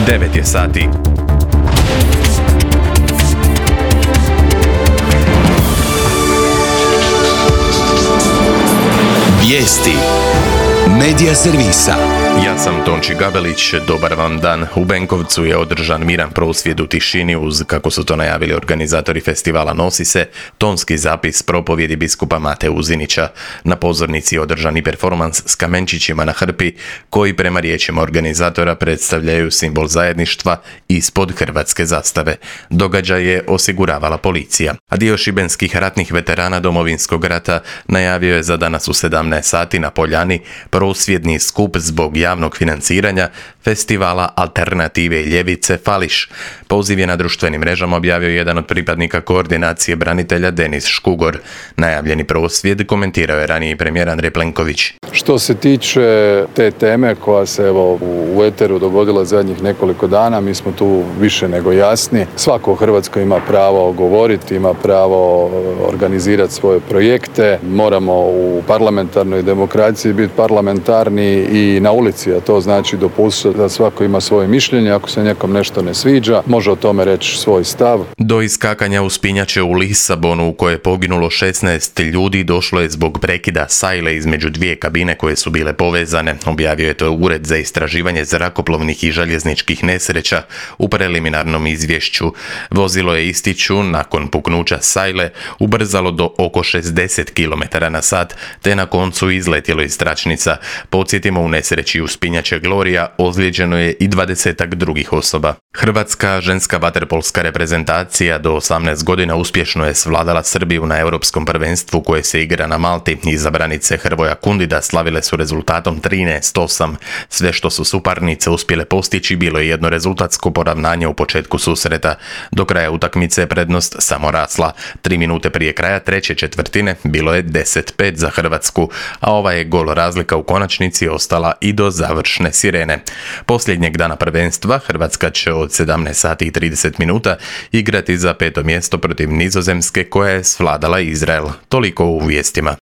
9 je sati. Vijesti Medija servisa. Ja sam Tonči Gabelić, dobar vam dan. U Benkovcu je održan miran prosvjed u tišini uz, kako su to najavili organizatori festivala Nosi se, tonski zapis propovjedi biskupa Mate Uzinića. Na pozornici je održan i performans s kamenčićima na hrpi, koji prema riječima organizatora predstavljaju simbol zajedništva ispod hrvatske zastave. Događaj je osiguravala policija. A dio šibenskih ratnih veterana Domovinskog rata najavio je za danas u 17 sati na Poljani prosvjedni skup zbog javnog financiranja festivala Alternative i ljevice Fališ. Poziv je na društvenim mrežama objavio jedan od pripadnika koordinacije branitelja Denis Škugor. Najavljeni prosvjed komentirao je raniji premijer Andrej Plenković. Što se tiče te teme koja se u eteru dogodila zadnjih nekoliko dana, mi smo tu više nego jasni. Svako u Hrvatskoj ima pravo govoriti, ima pravo organizirati svoje projekte. Moramo u parlamentarnoj demokraciji biti parlamentarni i na ulici, a to znači dopustiti da svako ima svoje mišljenje. Ako se nekom nešto ne sviđa, može o tome reći svoj stav. Do iskakanja uspinjače u Lisabonu, u koje je poginulo 16 ljudi, došlo je zbog prekida sajle između dvije kabine koje su bile povezane. Objavio je to Ured za istraživanje zrakoplovnih i željezničkih nesreća u preliminarnom izvješću. Vozilo je, ističu, nakon puknuća sajle ubrzalo do oko 60 km/h, te na koncu izletjelo iz tračnica. Podsjetimo, u nesreći uspinjače Gloria ozlijeđeno je i 20-ak drugih osoba. Hrvatska ženska vaterpolska reprezentacija do 18 godina uspješno je svladala Srbiju na europskom prvenstvu koje se igra na Malti. Izabranice Hrvoja Kundida slavile su rezultatom 13:8. Sve što su suparnice uspjele postići bilo je jedno rezultatsko poravnanje u početku susreta. Do kraja utakmice je prednost samo rasla. 3 minute prije kraja treće četvrtine bilo je 10:5 za Hrvatsku, a ova je gol razlika u konačnici ostala i do završne sirene. Posljednjeg dana prvenstva Hrvatska će od 17 sati i 30 minuta igrati za 5. mjesto protiv Nizozemske koja je svladala Izrael. Toliko u vijestima.